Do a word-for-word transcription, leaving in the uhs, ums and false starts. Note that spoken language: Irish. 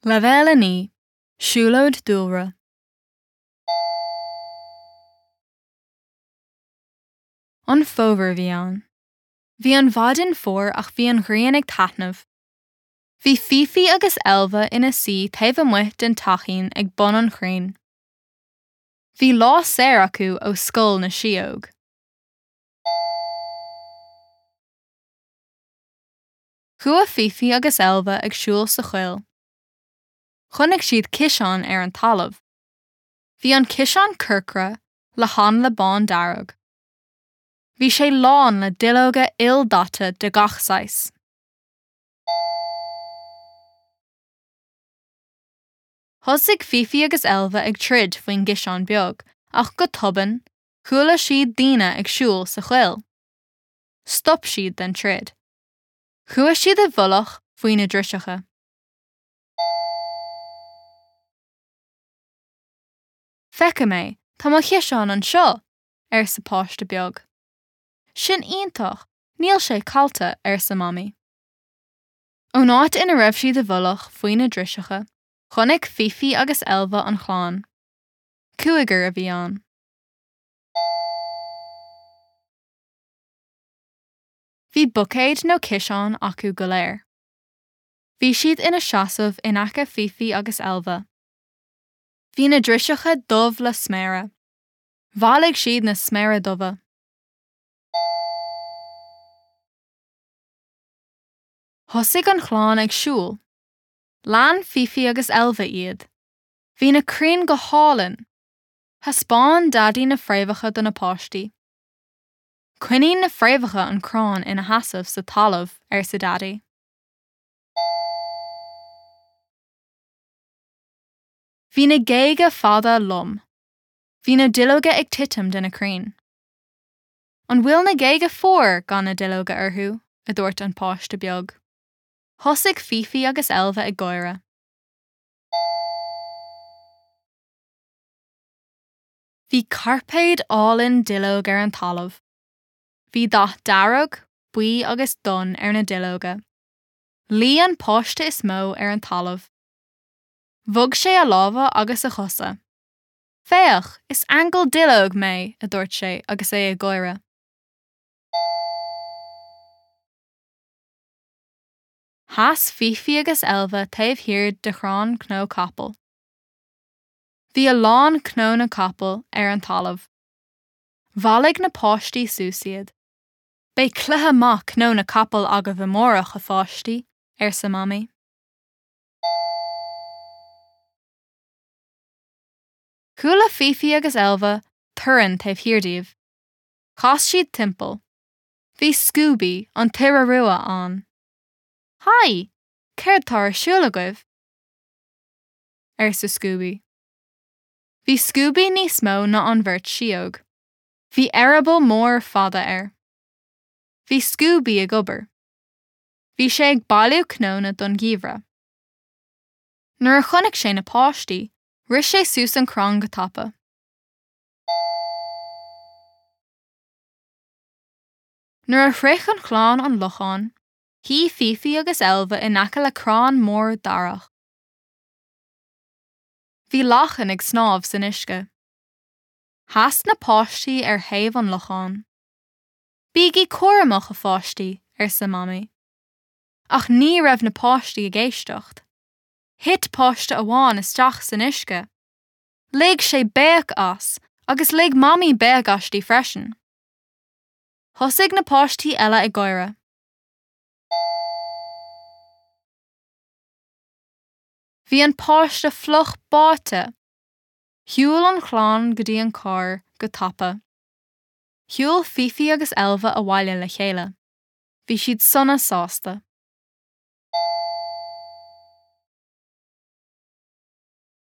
Leibhéal a naoi, Siúlóid Dúlra. An fómhar a bhí ann. Bhí an mhaidin fuar ach bhí an ghrian ag taitneamh. Bhí Fifi agus Elva ina suí taobh amuigh den teachín ag bun an chrainn. Bhí lá saor acu ó scoil na síóg. Chuaigh Fifi agus Elva ag siúl sa choill. Chonaic siad ciseán ar an talamh. Bhí an ciseán corcra le hanla bándearg. Bhí sé lán le duilleoga ildaite de gach saghas. Thosaigh Fifi agus Elva ag troid faoin gciseán beag, ach go tobann, chuala siad daoine ag siúl sa choill. Stop siad den troid. Chuaigh siad i bhfolach faoi na driseacha. Feicim é, tá mo chiseán anseo, arsa páiste beag. Sin iontach, níl sé caillte, arsa Mamaí. Ón áit ina raibh siad i bhfolach faoi na driseacha, chonaic Fifi agus Elva an chlann. Cúigear a bhí ann. Bhí buicéad nó ciseán acu go léir. Bhí siad ina seasamh in aice Fifi agus Elva. Bhí na driseacha dubh le sméara. Bhailigh siad na sméara dubha. Thosaigh an chlann ag siúl. Lean Fifi agus Elva iad. Bhí na crainn go hálainn. Thaispeáin Daidí na fréamhacha do na páistí. Coinníonn na fréamhacha an crann ina sheasamh sa talamh, arsa Daidí. Bhí na géaga fada lom. Bhí na duilleoga ag titim de na crainn. An bhfuil na géaga fuar gan na duilleoga orthu? a dúirt an páiste beag. Thosaigh Fifi agus Elva ag gáire. Bhí cairpéad álainn duilleog ar an talamh. Bhí dath dearg, buí agus donn ar na duilleoga. Luigh an páiste is mó ar an talamh. Bhog sé a lámha agus a chosa. Féach, is aingeal duilleog mé, a dúirt sé agus é ag gáire. Sheas Fifi agus Elva taobh thiar de chrann cnó capaill. Bhí a lán cnónna capaill ar an talamh. Bhailigh na páistí suas iad. Beidh cluiche maith cnónna capaill agaibh amárach, a pháistí, arsa Mamaí. Chuala Fifi agus Elva torann taobh thiar díobh. Chas siad timpeall. Bhí Scooby, an t-iora rua, ann. Haigh! Céard tá ar siúl agaibh? arsa Scooby. Bhí Scooby níos mó ná an bheirt síóg. Bhí eireaball mór fada air. Bhí Scooby ag obair. Bhí sé ag bailiú cnónna don gheimhreadh. Nuair a chonaic sé na páistí, rith sé suas an crann go tapa. Nuair a shroich an chlann an lochán, shuigh Fifi agus Elva in aice le crann mór darach. Bhí lachain ag snámh san uisce. Sheas na páistí ar thaobh an locháin. Bígí cúramach, a pháistí, arsa Mamaí. Ach ní raibh na páistí ag éisteacht. Thit páiste amháin isteach san uisce. Lig sé béic as agus lig Mamaí béic aisti freisin. Thosaigh na páistí eile ag gáire. Bhí an páiste fliuch báite. Shiúil an chlann go dtí an carr go tapa. Shiúil Fifi agus Elva abhaile le chéile. Bhí siad sona sásta.